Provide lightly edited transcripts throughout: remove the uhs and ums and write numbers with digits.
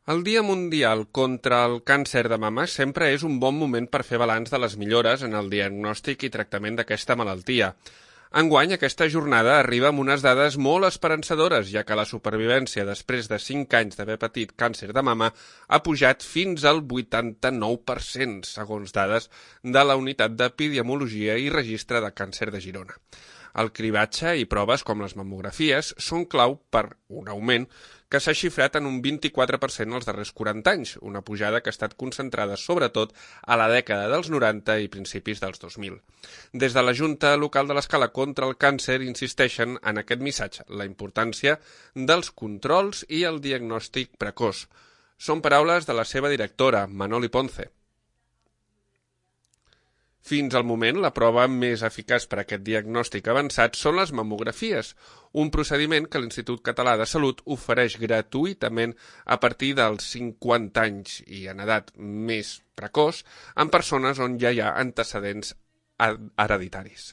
El Dia Mundial contra el Càncer de Mama sempre és un bon moment per fer balanç de les millores en el diagnòstic i tractament d'aquesta malaltia. Enguany, aquesta jornada arriba amb unes dades molt esperançadores, ja que la supervivència després de 5 anys d'haver patit càncer de mama ha pujat fins al 89%, segons dades de la Unitat d'Epidemiologia i Registre de Càncer de Girona. El cribatge i proves com les mamografies són clau per un augment que s'ha xifrat en un 24% els darrers 40 anys, una pujada que ha estat concentrada sobretot a la dècada dels 90 i principis dels 2000. Des de la Junta Local de l'Escala contra el Càncer insisteixen en aquest missatge, la importància dels controls i el diagnòstic precoç. Són paraules de la seva directora, Manoli Ponce. Fins al moment, la prova més eficaç per a aquest diagnòstic avançat són les mamografies, un procediment que l'Institut Català de Salut ofereix gratuïtament a partir dels 50 anys i en edat més precoç en persones on ja hi ha antecedents hereditaris.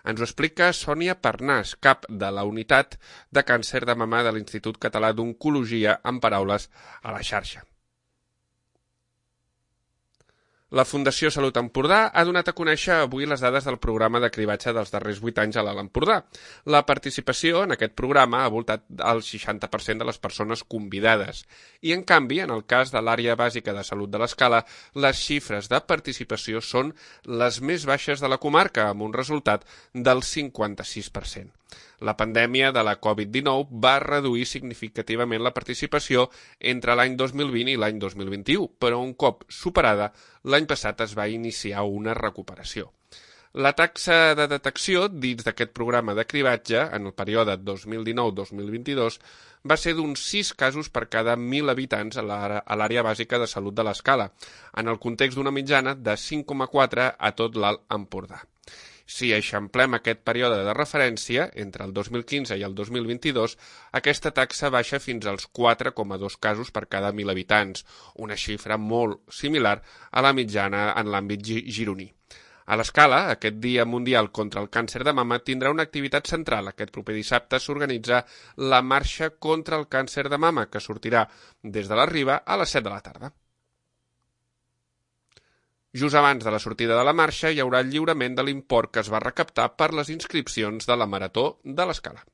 Ens ho explica Sònia Parnàs, cap de la Unitat de Càncer de Mama de l'Institut Català d'Oncologia, en paraules a la xarxa. La Fundació Salut Empordà ha donat a conèixer avui les dades del programa de cribatge dels darrers 8 anys a l'Alt Empordà. La participació en aquest programa ha voltat al 60% de les persones convidades i, en canvi, en el cas de l'àrea bàsica de salut de l'Escala, les xifres de participació són les més baixes de la comarca, amb un resultat del 56%. La pandèmia de la Covid-19 va reduir significativament la participació entre l'any 2020 i l'any 2021, però un cop superada, l'any passat es va iniciar una recuperació. La taxa de detecció dins d'aquest programa de cribatge en el període 2019-2022 va ser d'uns 6 casos per cada 1.000 habitants a l'àrea bàsica de salut de l'Escala, en el context d'una mitjana de 5,4 a tot l'Alt Empordà. Si eixamplem aquest període de referència, entre el 2015 i el 2022, aquesta taxa baixa fins als 4,2 casos per cada 1.000 habitants, una xifra molt similar a la mitjana en l'àmbit gironí. A l'Escala, aquest Dia Mundial contra el Càncer de Mama tindrà una activitat central. Aquest proper dissabte s'organitza la Marxa contra el Càncer de Mama, que sortirà des de la Riba a les 7 de la tarda. Just abans de la sortida de la marxa hi haurà el lliurament de l'import que es va recaptar per les inscripcions de la Marató de l'Escala.